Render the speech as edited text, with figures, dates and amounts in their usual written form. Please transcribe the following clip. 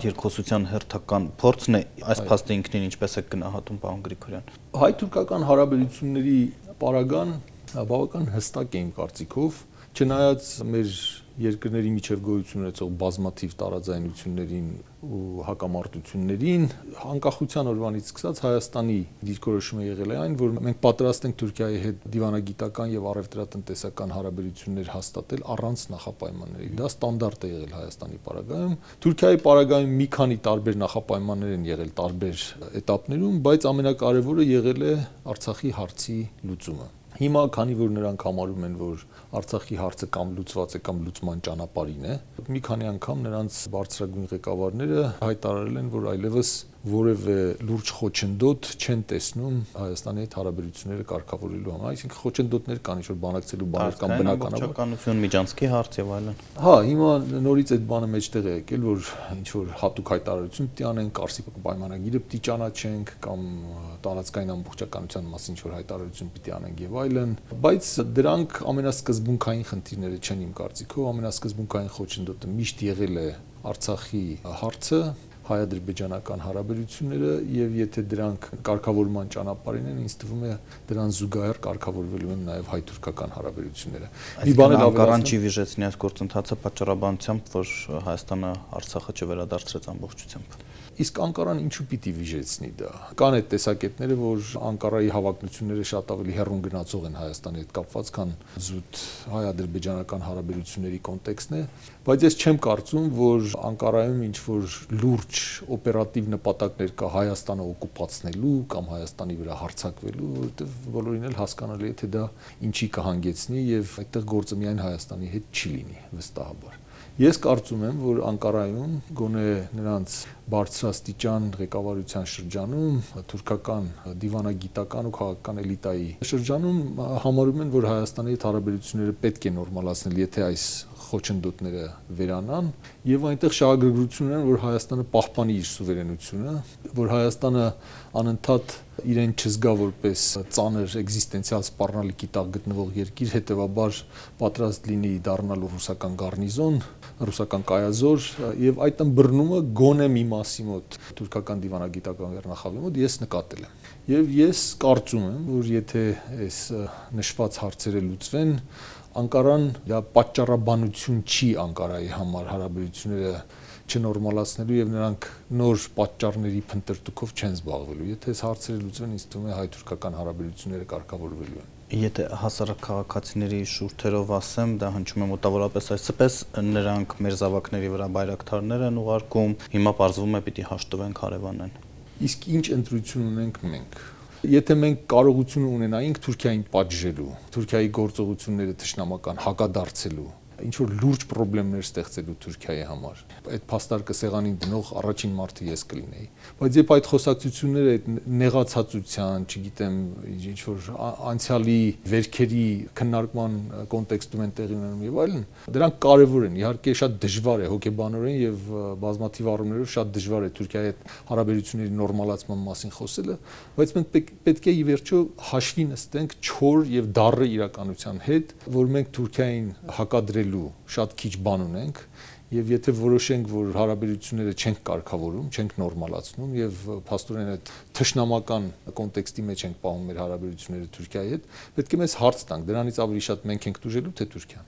երկխոսության հերթական փորձն է, այս փաստը ինքնին ինչպես է գնահատում պարոն Գրիգորյան։ Հայ-թուրքական հարաբերությունների պարագան բավական հստակ է իմ կարծիքով, չնայած մեր երկրների միջև գոյություն ունեցող բազմաթիվ տարաձայնություններին ու հակամարտություններին, անկախության օրվանից սկսած Հայաստանի դիրքորոշումը եղել է այն, որ մենք պատրաստ ենք Թուրքիայի հետ դիվանագիտական եւ առևտրատնտեսական հարաբերություններ հաստատել առանց նախապայմանների։ Դա ստանդարտ է եղել Հայաստանի պարագայում։ Թուրքիայի պարագայում մի քանի տարբեր նախապայմաններ են եղել տարբեր էտապներում, բայց ամենակարևորը եղել է Արցախի հարցի լուծումը։ Հիմա, քանի որ նրանք համարում են, որ Արցախի հարցը կամ լուծված է կամ լուծման ճանապարհին է, մի քանի անգամ նրանց բարձրագույն ղեկավարները հայտարարել են, որ այլևս որևէ լուրջ խոչընդոտ չեն տեսնում Հայաստանի հետ հարաբերությունները կարգավորելու համար, այսինքն խոչընդոտներ կան, ինչ-որ բանակցելու բաներ կամ բնականաբար միջանցքի հարց եւ այլն։ Հա, հիմա նորից այդ բանը մեջտեղ է եկել, որ ինչ-որ հատուկ հայտարարություն պիտի անենք, Կարսի պայմանագիրը պիտի ճանաչենք կամ տարածքային ամբողջականության մասին ինչ-որ հայտարարություն պիտի անենք եւ այլն, բայց դրանք ամենասկզբունքային խնդիրները չեն իմ կարծիքով, ամենասկզբունքային խոչընդոտը միշտ եղել է Արցախի հարցը, հայ-ադրբեջանական հարաբերությունները եւ եթե դրանք կարգավորման ճանապարհին են, ինձ թվում է դրան զուգահեռ կարգավորվելու են նաեւ հայ-թուրքական հարաբերությունները։ Մի բան էլ Անկարան չի վիժեցնի այս գործընթացը պատճառաբանությամբ, որ Հայաստանը Արցախը չվերադարձրեց ամբողջությամբ։ Իսկ Անկարան ինչու պիտի վիժեցնի դա։ Կան այդ տեսակետները, որ Անկարայի հավակնությունները շատ ավելի հեռուն գնացող են Հայաստանի հետ կապված, քան զուտ հայ-ադրբեջանական հարաբերությունների կոնտեքստն է, բայց ես չեմ կարծում, որ Անկարայում ինչ-որ լուրջ օպերատիվ նպատակներ կա Հայաստանը օկուպացնելու կամ Հայաստանի վրա հարձակվելու, որովհետև բոլորին էլ հասկանալի է, թե դա ինչի կհանգեցնի եւ այդտեղ գործը միայն Հայաստանի հետ չի լինի, վստահաբար։ Ես կարծում եմ, որ Անկարայում գոնե նրանց բարձրաստիճան ղեկավարության շրջանում, թուրքական դիվանագիտական ու քաղաքական էլիտայի շրջանում համարում են, որ Հայաստանի հետ հարաբերությունները պետք է նորմալացնել, եթե այս խոչընդոտները վերանան, եւ այնտեղ շահագրգռություն են, որ Հայաստանը պահպանի իր սուվերենությունը, որ Հայաստանը անընդհատ իրեն չզգա որպես ծանր էգզիստենցիալ սպառնալիքի տակ գտնվող երկիր, հետեւաբար պատրաստ լինի դառնալու ռուսական գառնիզոն, ռուսական կայազոր եւ այդ ըմբռնումը գոնե մի մասի մոտ թուրքական դիվանագիտական վերնախավի մոտ ես նկատել եմ։ Եվ ես կարծում եմ, որ եթե այս նշված հարցերը լուծվեն, Անկարան դա պատճառաբանություն չի Անկարայի համար հարաբերությունները չնորմալացնելու եւ նրանք նոր պատճառների փնտրտուքով չեն զբաղվելու։ Եթե այս հարցերը լուծվեն, ինձ թվում է հայ-թուրքական հարաբերությունները կարգավորվելու են։ Եթե հասարակ քաղաքացիների շուրթերով ասեմ, դա հնչում է մոտավորապես այսպես, նրանք մեր զավակների վրա բայրակթարներ են ուղարկում, հիմա պարզվում է պիտի հաշտվենք հարևանեն։ Իսկ ինչ ընտրություն ունենք մենք։ Եթե մենք կարողություն ունենայինք Թուրքիային պատժելու, Թուրքիայի գործողությունները թշնամական հակադարձելու, ինչ որ լուրջ խնդիրներ ստեղծելու Թուրքիայի համար, այդ փաստարկը սեղանին դնող առաջին մարդը ես կլինեի։ Բայց երբ այդ խոսակցությունները այդ նեղացածության, չգիտեմ, ինչ որ անցյալի վերքերի քննարկման կոնտեքստում են տեղի ունենում եւ այլն, դրանք կարեւոր են։ Իհարկե շատ դժվար է հոգեբանորեն եւ բազմաթիվ առումներով շատ դժվար է Թուրքիայի հետ հարաբերությունների նորմալացման մասին խոսելը, բայց մենք պետք է ի վերջո հաշվի նստենք չոր եւ դառը իրականության հետ, որ մենք Թուրքիային հակադրելու շատ քիչ բան ունենք եւ եթե որոշենք, որ հարաբերությունները չենք կարգավորում, չենք նորմալացնում եւ փաստորեն այդ թշնամական կոնտեքստի մեջ ենք պահում մեր հարաբերությունները Թուրքիայի հետ, պետք է մեզ հարց տանք, դրանից ավելի շատ մենք ենք դժելու թե Թուրքիան։